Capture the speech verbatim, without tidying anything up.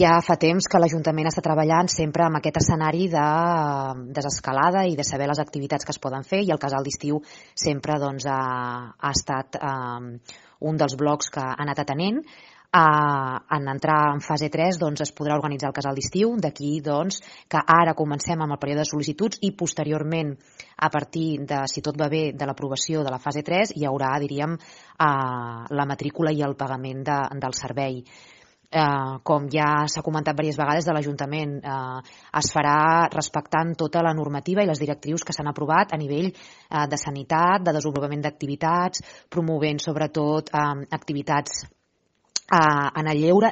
Ja fa temps que l'Ajuntament està treballant sempre amb aquest escenari de desescalada i de saber les activitats que es poden fer, i el casal d'estiu sempre doncs, ha, ha estat eh, un dels blocs que ha anat atenent. Uh, en entrar en fase tres doncs, es podrà organitzar el casal d'estiu, d'aquí doncs, que ara comencem amb el període de sol·licituds i posteriorment, a partir de, si tot va bé, de l'aprovació de la fase tres, hi haurà, diríem, uh, la matrícula i el pagament de, del servei. Uh, com ja s'ha comentat diverses vegades de l'Ajuntament, uh, es farà respectant tota la normativa i les directrius que s'han aprovat a nivell uh, de sanitat, de desenvolupament d'activitats, promovent sobretot uh, activitats uh, en el lleure